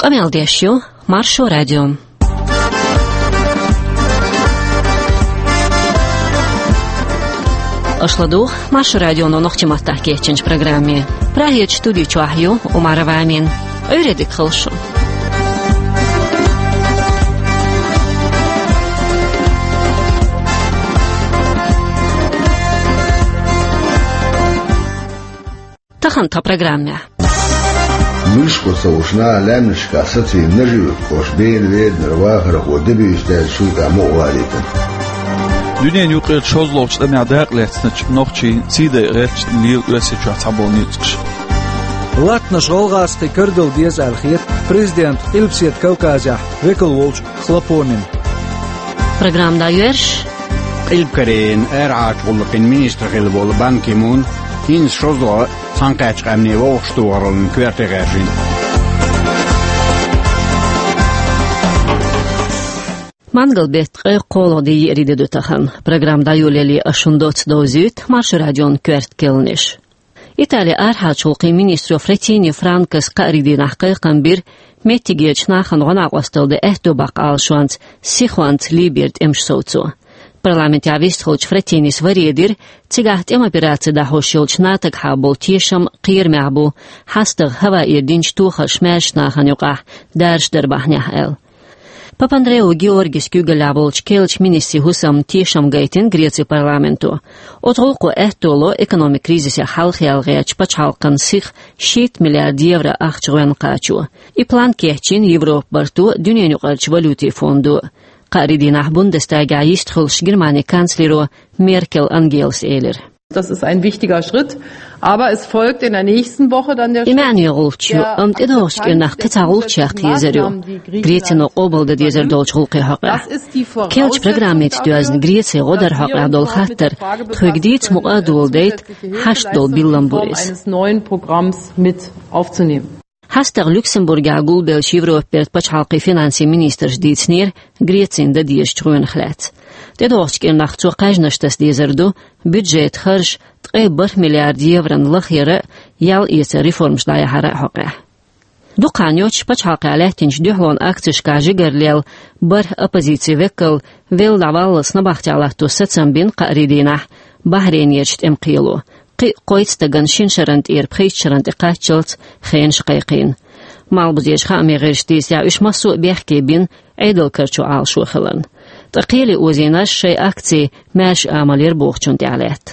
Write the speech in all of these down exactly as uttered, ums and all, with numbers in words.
Къамел деш ю Маршо радио. Аша ладугӀу Маршо радионо нохчийн маттахь кечйинчу программе. Прагерчу студи чохь ю Умарова Амина. Ӏуьйре дика хуьлда шун. Тахана тхан программехь. Муьлш бу ца вуш наха лаьмнашкахь сацийна Нажи-Юьртан кӀоштан Бена Веданара вахархо де буьйса даьллачул тӀаьхьа мукъа валийтина. Дуьненан юккъера шозлагӀчу тӀамехь дакъа лаьцначу нохчийн сий дайа гӀерташ лела Оьрсийчохь цхьаболу ницкъаш. Латтанаш гӀалгӀазкхийн карадала деза аьлла хета президент Къилбаседа Кавказехь векал волчу Хлопонин. Программа дӀайоьрзуш. Къилба Корейин арахьарчу гӀуллакхийн министр хилла волу Бан Ки Мун хӀинца шозлагӀа а, цхьаьнакхеттачу къаьмнийн вовшахтохараллин коьрте гӀаьржина. Мангал-беттан ткъе кхоалгӀа де, еарин де ду тахана. Программа дӀайолале ас шуна доцца довзуьйту Маршо радион коьрта кхаьънаш. Италин арахьарчу гӀуллакхийн министро Фратини Франкос кхаарин дийнахь кхайкхам бира меттигерчу нахана гӀо-накъосталла дан аьтто баккха Ӏалашонца, сихонца Либера тӀемаш совцо. Парламентехь вистхиллачу Фратинис варе дира, цигахь тӀеман операци дӀахьош йолчу НАТОгахьа болу тешам кхерамехь бу, хьастагӀа хӀаваэра динчу тохарша маьршачу нахана юкъахь даржаш дар бахьанехь аьлла. Папандреоу Георгис куьйгаллехь болчу керлачу министрийн хӀусамна тешам гайтина Грецин парламенто. Оцу гӀуллакхо аьтто ло экономикан кризисех хьалхаялла гӀертачу пачхьалкхан сиха шийтта миллиард евро ахча гӀоьнна кхачо. И план кечйина Европан барто, дуьненан юкъарчу валютийн фондо. Кхаарин дийнахь Бундестагехь йистхуьлуш Германин канцлеро Меркел Ангелас элира. Das ist ein wichtiger Schritt, aber es folgt in der nächsten Woche dann der И маьӀне йолу гӀулч ю, амма тӀедогӀучу кӀирнахь кхин цхьа гӀулч яккха езар ю. Грецино къобалдан дезар долчу гӀуллакхийн хьокъехь. Керлачу программица доьзна Грецин гӀо даран хьокъехь долу хаттар тхоьга дийца мукъа а доладайта, хьашт долу биллам бу иза. Eines neuen Programms mit aufzunehmen. ХьастагӀа Люксембургехь гулбеллачу Европан бертан пачхьалкхийн финансийн министраша дийцинера Грецина дан дезачу гӀоьнах лаьцна. ТӀедогӀучу кӀирнахь цо кхаьжнаш таса дезар ду бюджетан харж ткъе бархӀ миллиард еврона лахъяра а, ял эцара реформаш дӀаяхьара а хьокъехь. Дукха хан йоццуш пачхьалкхехь лаьттинчу дуьхьалонан акцешкахь жигара лелла бархӀ оппозицин векал велла дӀаваллалц набахтехь латто сацам бина кхаарин дийнахь Бахьрейнерчу тӀеман кхело. Кхин а кхойтта стагана шина шарна тӀера пхийтта шарна тӀе кхаччалц хенаш кхайкхийна. Малхбузерчу хаамийн гӀирсаша дийцарехь, уьш массо а бехке бина Ӏедалан карчо Ӏалашо хиларна. Ткъа кхеле озийнарш шайн акци маьрша амал яра бохучунна тӀехь лаьтта.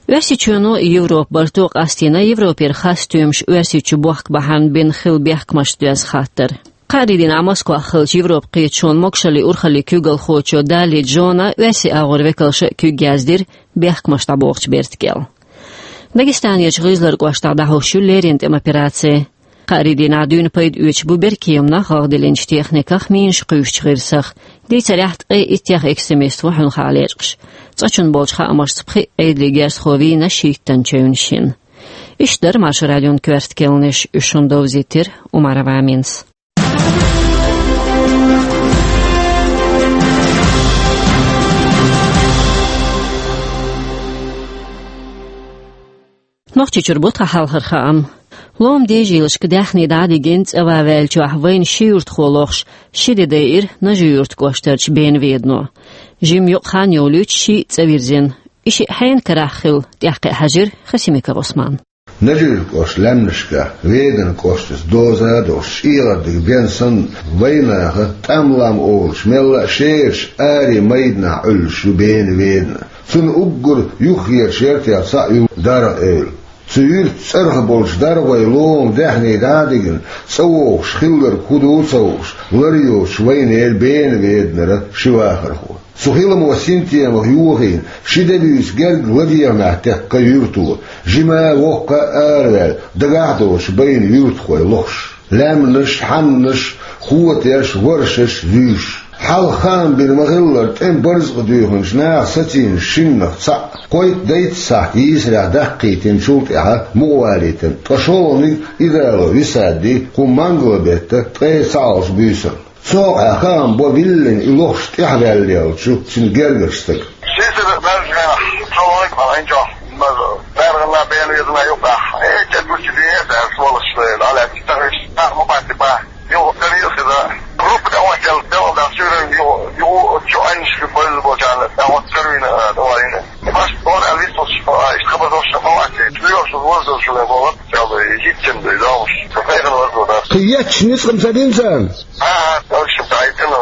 Оьрсийчоьно а, Европан барто а къастийна Европера хасстоьмаш Оьрсийчу бохку бахьана бина хилла бехкамашца доьзна хаттар. Кхаарин дийнахь Москвахь хиллачу Европан кхеташонан могашаллин урхаллин куьйгалхочо Дали Джона, оьрсийн агӀор векалша а куьг яздира бехкамаш дӀабохучу бертан кӀел. Дагестанерчу ГӀизлар кӀоштахь дӀахьош ю леррина тӀеман операци. Кхаарин дийнахь дуьйна пайда оьцуш бу беркеманах, гӀагӀ диллинчу техниках, минаш кхуьйсучу гӀирсах. Дийцарехь, ткъе иттех экстремист ву хьуьнхахь лечкъаш. Цкъачунна болчу хаамашца пхиъ Ӏедалан герзахо вийна шийттан чевнаш йина. Иштта дара Маршо радион коьрта кхаьънаш, уьш шуна довзийтира Умарова Аминас. Нохчийчуьра бу тхан хьалхара хаам. Ломан дежийлашка даьхни дӀа а дигина, цӀа ван ваьллачохь вайна ши юьртахо лохуш, ши де дайира Нажи-Юьртан кӀоштарчу Бена Ведано. Жимма юкъа хан йолуьйтуш шиъ цӀа вирзина. И шиъ хьенан карахь хилла, тӀаьхьакхиа хьаьжира Хасимиков Ӏусмана. Нажи-Юьртан кӀоштан лаьмнашкахь Веданан кӀоштаца доза а долуш, чӀегӀардиг бен санна, вайнаха тӀам-лам олуш, мелла а шераш аре майданахь Ӏуьллуш ю Бена Ведана. Цунна уггар юххерчу яртех цхьаъ ю ДаргӀа-Эвла. Цу юьртан цӀарах болчу ДаргӀойн ломан даьхни дӀа а дигна, цӀа вогӀуш хилларг хӀун ду а ца хууш, лар йоцуш вайнера Бена Веданара ши вахархо. Цу хиламо синтемах йохийна, ши де буьйса герга ладегӀамехь теккха юьрто, жима а, воккха а араваьлла, дагахь а доцуш байна юьртахой лохуш. Лаьмнаш, хьаннаш, хотеш, варшаш, зуьйш. Хьалха хаам бина ма-хиллара, тӀеман барзакъ дуьйхинчу наха сацийна шиннах цхьаъ, кхойтта-дейтта сахьт йийсарехь даккхийтинчул тӀаьхьа мукъа валийтина, ткъа шолгӀаниг Идалов Висади кху мангал-беттан ткъе цхьалгӀачу буьйсанна. Цу хьокъехь хаам бо виллина и лохуш тӀаьхьаваьллаеллачу цуьнан гергарчу стага. Ши сира баьржина, шолгӀаниг хьалха чохь, ма-, баьргӀана Бена Ведана юкъахь, э, чед гучу деза, сволочь, дӀалаьцна, тахана ма баци бан. Кхы етташ ницкъ-м ца дина царна? А, точно, дайтина,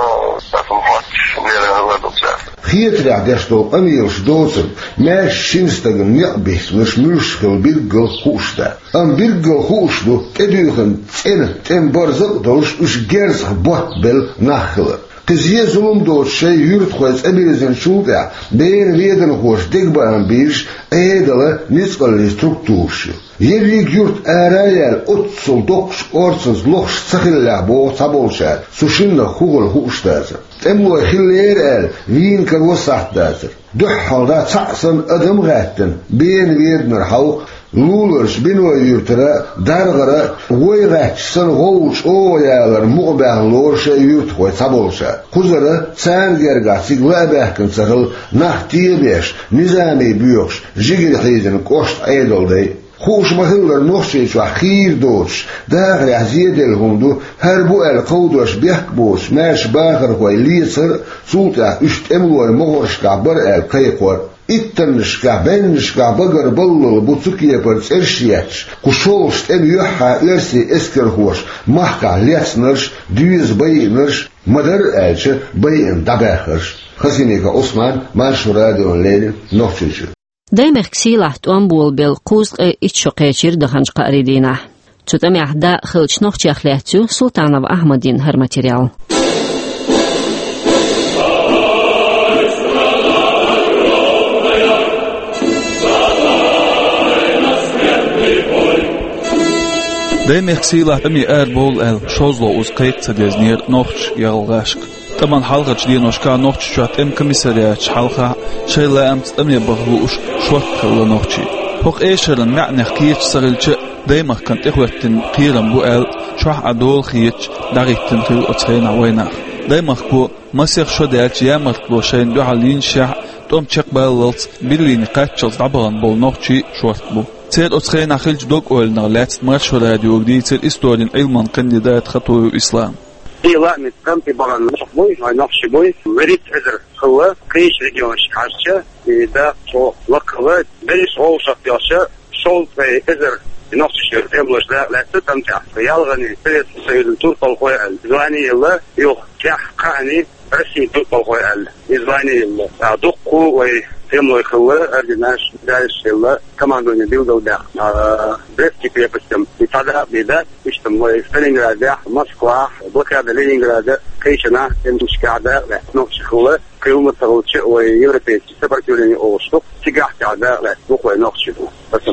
тасам хоч, мера ладугса. Хетарехь деш долу къамелаш доцург, маьрша шина стагана некъ бихкинарш муьлш хилла билггал хууш дац. Амма билггал хууш ду тӀедуьйхина цӀена тӀеман барзакъ а долуш, уьш герзах ботт белла нах хилар. Кхин зен-зулам доцуш шайн юьртахой цӀа бирзинчул тӀаьхьа, беран веданхоша дегабаам бийраш Ӏедалан ницкъаллин структураш ю. Ерриг юрт ара а яьлла, оццул доккхачу орцанца лохаш ца хиллехь, боху цхьаболчара, цу шиннах хӀун хилла хууш дацара. ТӀемалой хиллера аьлла, вийна каро сахьт дацара. ДуьххьалдӀа цхьаъ санна адам а гӀаьттина, бена веданара хьовха, Луларчу Биной-Юьртара, ДаргӀара, вай гӀаьттича санна, гӀовгӀа чӀогӀа ялар мукъабаьхна лору шайн юьртахой цхьаболчара. Кхузара царна гергахь цига ла а баьхкина ца хилла, нах тӀе а беш, низаме боьхуш, жигара хьийзина кӀоштан Ӏедалан дай. Хууш ма-хиллара, Нохчийчохь хийра доцуш, дахарехь зеделла хӀума ду, хӀара бу аьлла кховдош бехк боцуш, маьрша бахархой лецар а, цул тӀаьхьа уьш тӀемалойн могӀаршкахь бара аьлла кхайкхор а. Иттаннашкахь, бӀеннашкахь багара баллал бу цу кепара цӀераш а етташ, кху шолгӀачу тӀеман юьххьехь оьрсийн эскархоша махкахь лецнарш, доьза байинарш, ма-дарра аьлча, байина дӀабаьхнарш. Хасимиков Ӏусман, Маршо радиона леррина, Нохчийчуьра. Даймехкан сийлахь тӀом болабелла кхузткъе итт шо кхечира даханчу кхаарийн дийнахь. Цу тӀамехь дакъа хиллачу нохчех лаьцна ю Султанов Ахьмадин хӀара материал. Даймехкан сийлахь тӀаме арабовла аьлла, шозлагӀа уза кхайкха ца дезнера нохчаша гӀалгӀашка. ТӀаман хьалхарчу деношкахь Нохчийчохь тӀеман комиссариаташ хьалха шайн лаамца тӀаме баха лууш шортта хилла нохчий. ХӀокху эшаран маьӀнех кхеташ ца хилча а, даймахкана тӀехӀоьттина кхерам бу аьлла, чохь Ӏа дола хеташ дӀахӀиттина хилла оцу хенахь вайнах. Даймахко масех шо даьлча ямартло шайна дуьхьал йинчехь а, тӀом чекхбаллалц, Берлине кхаччалц дӀабахана болу нохчий шортта бу. Церан оцу хенахь хиллачу дог-ойланах лаьцна Маршо радиога дийцира историн Ӏилманан кандидата Хатуев Ислама. И лаамца тӀам тӀе бахана нохчий буй, вайн нохчий буй, вуьрхӀитта эзар хилла, кхечу регионашка хьаьжча, и дакъа чӀогӀа лакхахилла, берриш гӀовгӀа шортта йоцуш, шовзткъе эзар нохчий тӀемалоша дакъа лаьцна тӀам тӀехь. ЯлхӀанехь Советский Союзан турпалхой аьлла звани елла, юха тӀаьхьа кхаанехь Россин турпалхой аьлла и звани елла. ТӀаккха дуккха а вай тӀемалой хилла, орденаш, медалаш елла, командовани билгалбаьхна, а, Брестский крепостехь и цхьа дакъа бен дац, иштта вай Сталинградехь, Москвахь, блокада Ленинграда, кхечанхьа тӀемашкахь дакъа лаьцна нохчий хилла, кхин хӀума ца хилча а вай европейский сопротивление олуш ду, цигахь тӀехь дакъа лаьцна бу вай нохчий бу. Аса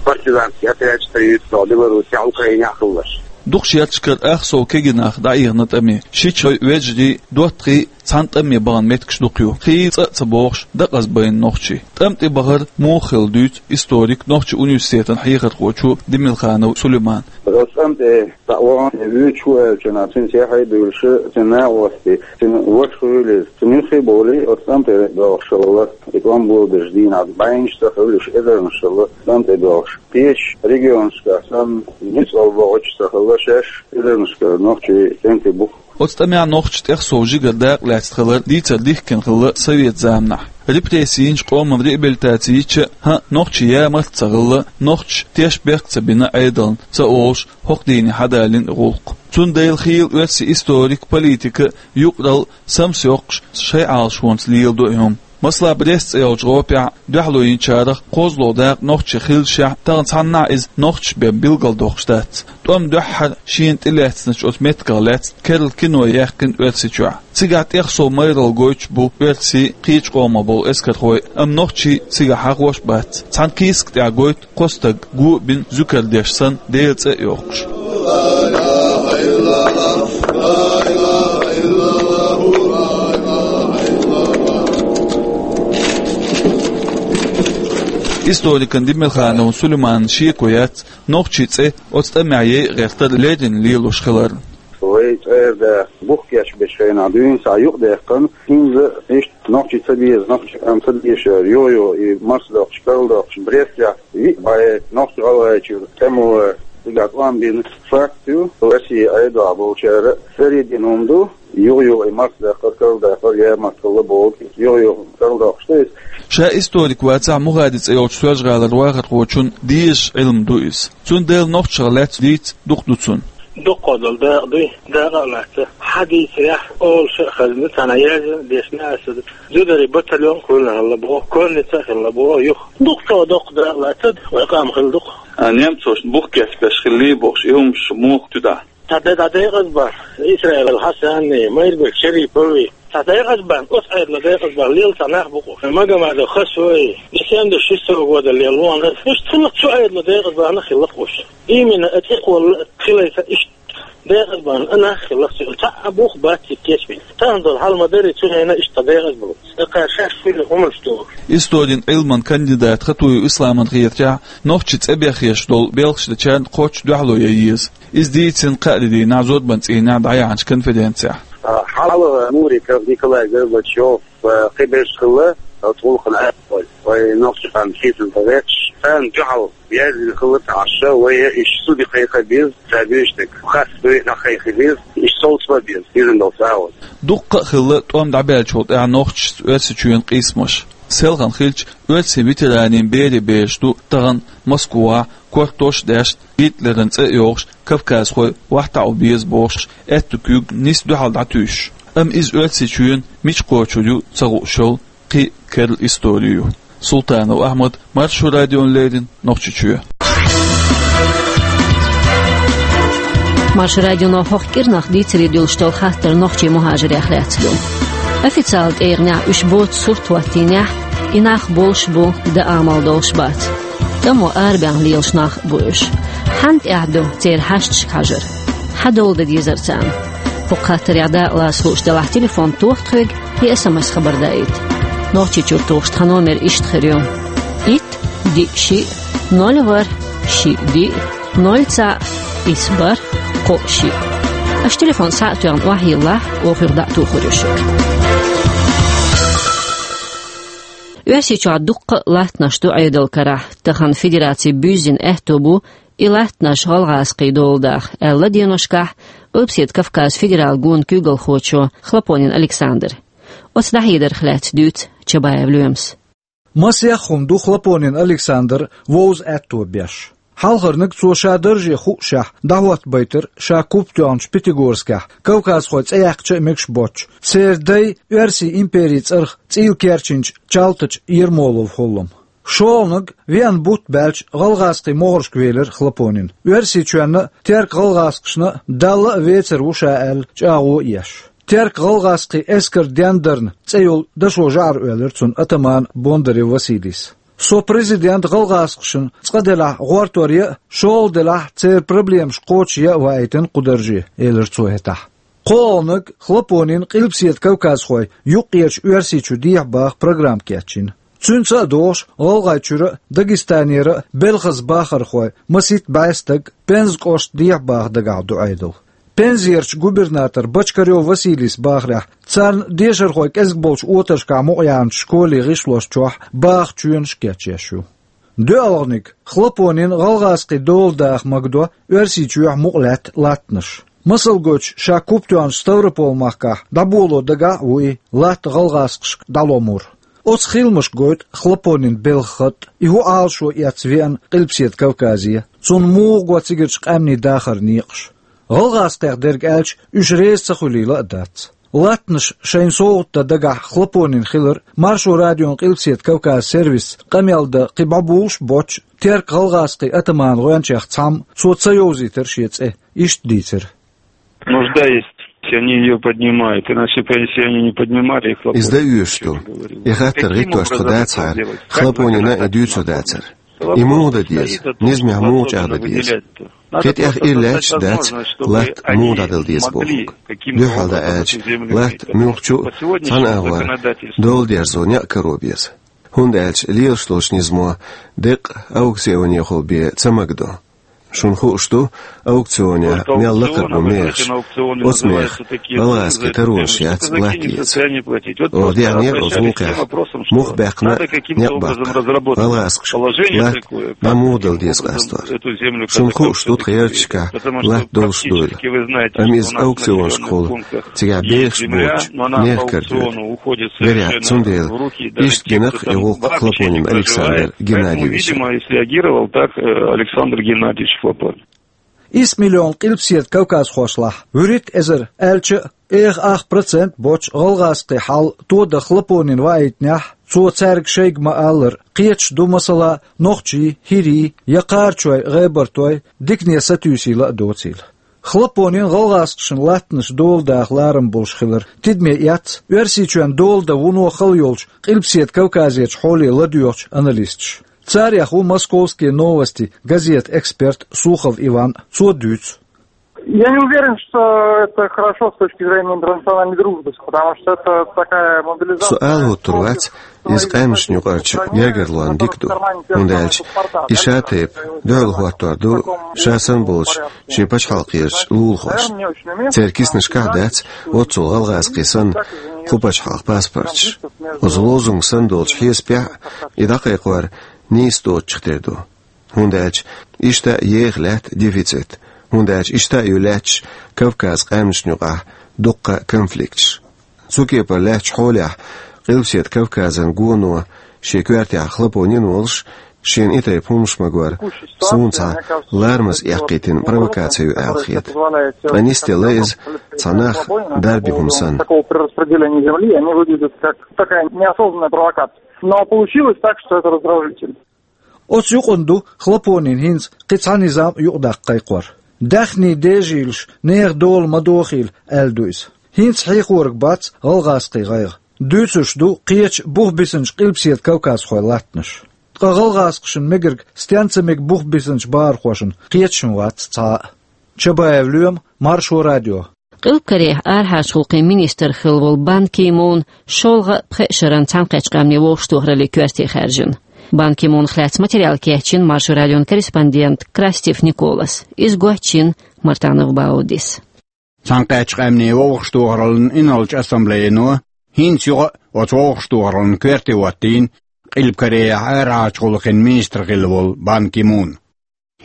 партизанский отряд строить до Белоруссия, Украинехь хилларш. Дукхачу ярташкара ах сов кегий нах дӀаихна тӀаме. Шичой, вежарий, доттагӀий, цхьана тӀаме бахана меттигаш дукха ю. Хийла цӀа а ца бохуш, декъаза байна нохчий. ТӀам тӀе бахар муха хилла дуьйцу историк, нохчийн университетан хьехархочо Демелханов Сулеймана. Оцу тӀам тӀе дӀа а вахана, вуьйцуш ву аьллачу хенахь, цуьнца яхье а буьйлуш, цуьнан накъостий, цуьнан ваша хуьлийла, цуьнан юххе а бовлий, оцу тӀам тӀе доьлхуш хилла, и тӀом болабеллачу дийнахь бӀеннаш ца хилла, уьш эзарнаш хилла тӀам тӀе доьлхуш. Кхечу регионашкахь санна, ницкъ а бохуш ца хилла, шаьш эзарнашкара нохчий тӀам тӀе бу. Оцу тӀамехь нохчаша тӀех сов жигара дакъа лаьцна хилар дийцар дихкина хилла совет заманахь. Репресси йинчу къоман реабилитаци йича а, хӀаъ, нохчийн ямарт а ца хилла, нохчаша тешнабехк а ца бина Ӏедална, ца олуш, хӀокху дийне хьадалийна и гӀуллакх. Цундела хийла оьрсийн историк, политика юкъаралла самсайоккхуш шайн Ӏалашонца леладо и хӀума. Масала, Брест цӀе йолчу гӀопехь дуьхьало йинчарах кхозлагӀа дакъа нохчийн хиллашехь, тахана цхьаннахьа иза нохчаша бен билгалдоккхуш дац. ТӀом дуьххьара шена тӀелаьцначу оцу меттигах лаьцна керла кино яьккхина Оьрсийчохь. Цигахь тӀех сов майралла гойтуш бу оьрсийн, кхечу къомах болу эскархой, амма нохчий цигахь хьахош а бац. Цхьана кийсак тӀехь гойту кхо стаг, го а бина, зуькар деш санна, Делан цӀе а йохкуш. Историкан Демелхановн Сулейманан шеко яц нохчийн цӀе оцу тӀамехь яйа гӀертар леррина лелош хиларна. Вай цӀера да бух кечбечу хенахь дуьйна схьа юкъадаьккхина, хӀинца иштта нохчий ца беза, нохчий къам ца дезаш, юха-юха и марсадоккхуш, карладоккхуш, Брестехь виъ бӀе нохчи-гӀалгӀайчуьра тӀемало цигахь тӀом бина факт ю. Россин Ӏедалехь болчара а карийдина хӀума ду, юха-юха и марсадаккхар, карладаккхар, ямартло бохург, юха-юха карладоккхуш ду иза. Ша историк вацахь а, Мухади цӀе йолчу Соьлжа-ГӀалара вахархочун дезаш Ӏилма ду иза. Цундела нохчашах лаьцна дийца дукха ду цунна. Дукха долу дакъа дуй, дакъа а лаьцна. Хьан дийцарехь, олуш а хазна, цхьана яздина дешна аса. Зударий батальон кхуьллина хилла боху, конница а хилла боху, юха. Дукха доккха дакъа лаьцна, вай къам хилла дукха. А немцошна бух кечбеш хилла бохуш, и хӀумаш муха туьдахь? Цхьа де дӀа декъазбар, Исраил Хьасанни, Майрбек Шерипови. Цхьа декъазбан, оцу Ӏедало декъазбан лела цхьа нах бу-кх уьш. Магомадов Хасой, десятый шестой года лела вон. Уьш цхьа цу Ӏедало декъазбан хилла-кх уьш. Именно оцу цӀе кхолла хилайца иштта декъазбан а нах хилла-кх цу. Цхьа а бух бац и кечбина. Тахана долу хьал ма-дарра, цу хенахь иштта декъазбан. ТӀаккха шаьш хуьлу хӀуманаш ду. Историн Ӏилман кандидат Хатуев Исламан хетарехь, нохчийн цӀе бехъеш долу белхаш дечарна кхоччуш дуьхьало ян еза. Иза дийцина кхаарин дийнахь зорбан цӀийнехь дӀаяьхьначу конференцехь. А, хьалха Муриков Николай Горбачев, а, кхиберш хилла, а, тхулхана аьлла вай, вай нохчийн къам хийцамца вехаш, царна дуьхьал яздина хилла тхаьш, вай иштта суде кхайкха беза, ца буьйш дерг хасса дуй, дӀакхайкха беза, иштта совца ма беза, иза долу сагӀа. Дуккха а хилла тӀом дӀабаьллачул тӀаьхьа нохчашца Оьрсийчоьнан къийсамаш. Селхана хилча, оьрсийн ветеранийн берийн бераш ду тахана Москвахь, кортош а даьшна, Гитлеран цӀе а йохуш, кавказхой охьатаӀо беза бохуш, аьтту куьг нисса дуьхьал дӀатуьйсуш. Амма иза Оьрсийчоьнан мича кхочур ю ца хууш йолу кхин а керла истори ю. Султанов Ахьмад, Маршо радиона леррина, Нохчийчоь. Маршо радионо хӀокху кӀирнах дийцаре дуьллуш долу хаттар нохчийн мухӀажирех лаьцна ду. Официалан тӀегӀанехь уьш боцу сурт хӀоттийнехь, и нах болуш бу, дан амал долуш бац. ТӀамо арабаьхна лелаш нах а бу уьш. Хьанна тӀехь ду церан хьашташка хьажар? Хьан дола дан дезара царна? ХӀокху хаттарех дакъалаца хууш делахь, телефон тоха тхоьга, я эс эм эс хабар даийта. Нохчийчуьра тухуш тхан номер иштта хир ю: итт, диъ, шиъ, ноль, ворхӀ, шиъ, диъ, ноль, цхьаъ, исс, бархӀ, кхоъ, шиъ. Аша телефон схьа а тоьхна охьайиллахь, оха юха дӀа а тухур ю шуьга. Оьрсийчохь дуккха а латтанаш ду Ӏедалан карахь. Тахана федераци буьззина аьтто бу и латтанаш гӀалгӀазкхийн дола даха, аьлла деношкахь Къилбаседа Кавказан федералан гонан куьйгалхочо Хлопонин Александра. Оцу дӀахьедарх лаьцна дуьйцу Чабаев Лоьмас. Масех хӀума ду Хлопонин Александра вовза аьтто беш. Хьалхарниг цо ша дарже хуушехь дӀахӀоттабайтира ша куп тоьхначу Пятигорскехь кавказхой цӀе яьккхича а мегаш боцчу, церан дайн Оьрсийн империн цӀарах цӀийла керчинчу Чалтачу Ермоловн хӀуллам. ШолгӀаниг веана бутт баьлча гӀалгӀазкхийн могӀаршка велира Хлопонин. Оьрсийчоьнна а, теркан гӀалгӀазкхашна а Далла а вецар ву ша аьлла, чӀагӀо а еш. Теркан гӀалгӀазкхийн эскар дендарна цӀе йолу дашо жӀар оьллира цунна атамана Бондарев Василийс. Со президент гӀалгӀазкхашна цкъа делахь гӀортор ян а, шолгӀа делахь церан проблемаш кхочушъян а ваийтина кху дарже, элира цо хӀетахь. КхоалгӀаниг Хлопонина Къилбаседа Кавказхой юккъерчу Оьрсийчу дехьа баха программа кечйина. Цуьнца а догӀуш, ГӀалгӀайчуьра а, Дагестанера а белхаза бахархой, масийтта бӀе стаг, Пенза кӀошта дехьа баха дагахь ду Ӏедал. Пензерчу губернатор Бочкарёв Василийс бахарехь, царна дешархой кӀезиг болчу отаршкахь мукъаяьхначу школийн гӀишлош чохь баха чоьнаш кечъеш ю. ДоьалгӀаниг Хлопонина гӀалгӀазкхийн дола даха магадо Оьрсийчохь мукъа лаьтта латтанаш. Масал гойтуш, ша куп тоьхначу Ставрополь-махкахь дӀаболо дагахь а ву и латта гӀалгӀазкхашка дӀаломур. Оцу хиламашка гойту Хлопонина белхан хатӀ, и хӀун Ӏалашо эцна веана Къилбаседа Кавказе, цунна муха го цигарчу къаьмнийн дахаран некъаш. ГӀалгӀазкхех дерг аьлча, уьш реза ца хуьлийла а дац. Латтанаш шайна совгӀат дан дагахь Хлопонина хилира Маршо радион Къилбаседа Кавказан сервисца къамел дан кхин бӀобулуш а боцчу теркан-гӀалгӀазкхийн атаманан гӀоьнчех цхьамма, цо ца йовзийтира шен цӀе, иштта дийцира. Нужда есть, они её поднимают, иначе, если они не поднимали, их... Иза дан оьшуш ду. И хаттар гӀиттош тхо дацахьара, Хлопонина и дуьйцур дацара. И муха дан деза, низамехь муха чӀагӀдан деза. Кхин тӀех и лаьтташ дац, латта муха дӀадала деза бохург. Дуьххьал дӀааьлча, латта муьлххачу а цхьана агӀор дола дерзо некъ каро беза. ХӀунда аьлча лелаш долчу низамо деккъа аукционехула бен ца магадо. Шуна хууш ду, аукционехь мел лакхара бу мехаш. Оцу мехах гӀалгӀазкхийн таронаш яц латта эца. Оха деана оцу гӀуллакхехь муха баьккхина некъ баккхар. ГӀалгӀазкхаша латта дӀа муха дала деза къастор. Шуна хууш ду, тхан ярташкахь латта долуш дуйла. Амма иза аукционашкахула, цигахь бехаш боцуш, нехан кара доьду. Вероятно, цундела иштта гина-кх и гӀуллакх Хлопонин Александр Геннадьевича. Видимо, и среагировал так, э, Александр Геннадьевич Хлопонин. Исс миллион къилбаседа кавказхошлахь, вуьрхӀитта эзар аьлча а, эха ах процент боцу гӀалгӀазкхийн хьал тодан Хлопонина ваийтинехь, цо цаьрга шайга ма-аллара, кхеташ ду, масала, нохчий, хӀирий я кхарачой, гӀебартой дикане сатуьйсийла а доцийла. Хлопонин гӀалгӀазкхашна латтанаш дола даха ларам болуш хилар тидаме эцна Оьрсийчоьнан дола дан вуно хала йолчу Къилбаседа Кавказерчу хьоле ладоьгӀучу аналисташа. Царех ву «Московские новости» газетан эксперт Сухов Иван. Цо дуьйцу. Я не уверен, что это хорошо с точки зрения интернациональной дружбы, потому что это такая мобилизация. Со ала хӀуттур вац, иза къаьмнашна юкъарчу гергарлонна дика ду, хӀунда аьлча и ша-тайпа дуьхьал хӀоттор ду ша санна болчу шен пачхьалкхерчу лулахошна. Церан киснашкахь дац оццул гӀалгӀазкхийн санна кху пачхьалкхан паспорташ. Оцу лозунг санна долчу хьесапехь и дӀакхайкхор нийса доцучух тера ду. ХӀунда аьлча иштта еха лаьтта дефицит, хӀунда аьлча иштта а ю лаьтташ Кавказан къаьмнашна юкъахь дуккха конфликташ. Цу кепара лаьттачу хьолехь Къилбаседа Кавказан гоно шен коьртехь Хлопонин волуш, шена и тайпа хӀуманаш магор суна цхьа ларамаза эккхийтина провокаци ю аьлла хета. Ткъа нисделла иза цхьа нах дарби хӀума санна. Такого перераспределения земли, они выглядят как такая неосознанная провокация. Но получилось так, что это раздражитель. Оцу юкъана ду Хлопонина хӀинца кхин цхьа низам а юкъадаккха кхайкхор. Даьхний дежийлаш нехан дола ма дохийла, аьлла ду иза. ХӀинца хьехориг бац гӀалгӀазкхийн гӀайгӀа. Дуьйцуш ду кхечу бух бисинчу Къилбаседа Кавказхойн латтанаш. Ткъа гӀалгӀазкхашна мегарг стенца мега бух бисинчу бахархошна кхеташ-м вац цхьа а. Чабаев Лоьма, Маршо радио. Къилба Корейхь арахьарчу гӀуллакхийн министр хилла волу Бан Ки Мун шолгӀа а пхеа шеран Цхьаьнакхеттачу Къаьмнийн Вовшахтохараллин коьрте хаьржина. Бан Ки Мунах лаьцна материал кечйина Маршо радион корреспондент Крастев Николас. Иза гочйина Мартанов Баудис. Цхьаьнакхеттачу Къаьмнийн Вовшахтохараллин инарлачу ассамблеяно хӀинца юха а оцу вовшахтохараллин коьрте хӀоттийна Къилба Корейхь арахьарчу гӀуллакхийн министр хилла волу Бан Ки Мун.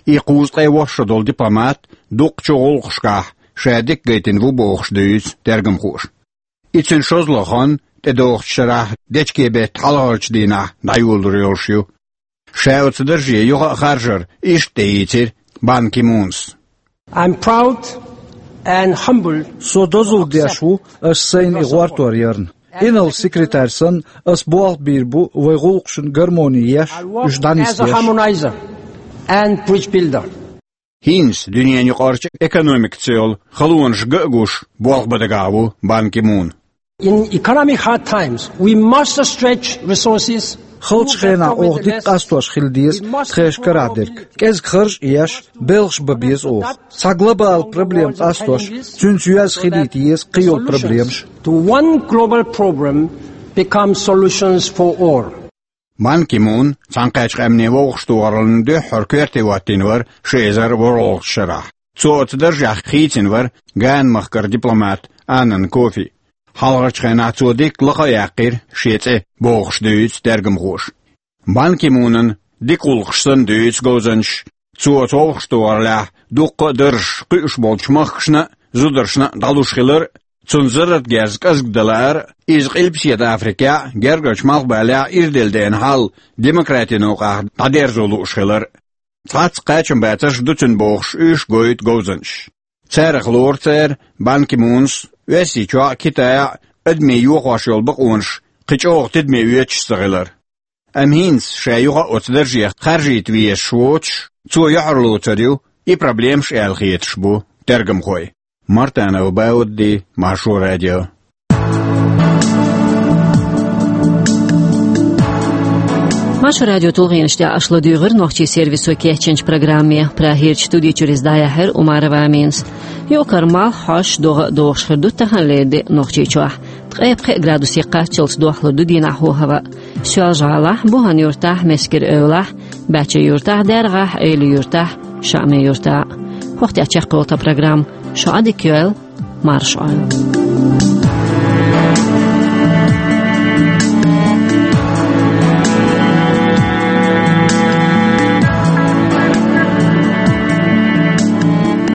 И кхузткъе ворхӀ шо долу дипломат дуккхачу гӀуллакхашкахь ша дика гайтина ву бохуш дуьйцу тергамхоша. И цуьнан шозлагӀа хан тӀедогӀучу шарахь дечкен беттан хьалхарчу дийнахь дӀайолалур йолуш ю. Ша оцу дарже юха а харжар иштта тӀеийцира Бан Ки Мунас. I'm proud and humbled. Со дозалла деш ву ас сайна и гӀортор ярна. Инарла секретарь санна, ас болх бийр бу вайн гӀуллакхашна гармони еш, уьш дӀанисдеш. As a harmonizer and bridge builder. ХӀинца дуьненан юкъарчу экономикаца йолу халонаш ган а гуш болх бан дагахь ву Бан Ки Мун. In economic hard times, we must stretch resources. Халчу хенахь оха дика къастош хила деза тхешан карахь дерг. КӀезиг харж а еш, белхаш бан беза оха. Цхьа глобал проблема къастош, цуьнца йоьзна хилийта еза кхин йолу проблемаш. To one global problem become solutions for all. Бан Ки Мун Цхьаьнакхеттачу Къаьмнийн Вовшахтохараллин дуьххьара коьрте хӀоттийна вара ши эзар ворхӀалгӀачу шарахь. Цо оцу даржехь хийцина вара Гана-махкара дипломат Аннан Кофи. Хьалхарчу хенахь цо дикка лакха а яьккхира шен цӀе, бохуш дуьйцу тергамхоша. Бан Ки Мунан дика гӀуллакхаш санна дуьйцу говзанчаша, цо оцу вовшахтохараллехь дуккха а даржаш кхуьуш болчу махкашна а, зударшна а дӀалуш хилар а, цунна зарратгерз кӀезиг дан лаар а, иза Къилбаседа Африкехь а, Гергарчу Малхбалехь а ирделла деана хьал демократин новкъахь дӀадерзо лууш хилар а. Цхьацца кхачамбацарш ду цуьнан бохуш уьш гойту говзанчаша. Царах лору цара Бан Ки Мунас Оьрсийчохь а, Китайхь а адамийн йохош йолу бакъонаш кхин чӀогӀа тидаме оьцуш ца хилар. Амма хӀинца ша юха а оцу даржех харжийта везаш воцуш, цо юьхьарлоцур ю и проблемаш аьлла хеташ бу тергамхой. Мартанов Баудди, Маршо радио. Маршо радион тулгӀенаш тӀехь аша ладуьйгӀира нохчийн сервисо кечйинчу программе. Прагерчу студи чуьра иза дӀаяьхьира Умарова Аминас. Юкъара малх хьош догӀа а догӀуш хир ду таханлера де Нохчийчохь. Ткъе пхеа градусе кхаччалц дохлур ду дийнахь хӀаваъ. Соьлжа-ГӀалахь, Бухан-Юьртахь, Мескер-Эвлахь, Баьчча-Юьртахь, ДаьргӀахь, Эла-Юьртахь, Шаъми-Юьртахь. ХӀокху тӀехь чекхйолу тхан программа. Шу Ӏадика йойла, марша Ӏойла.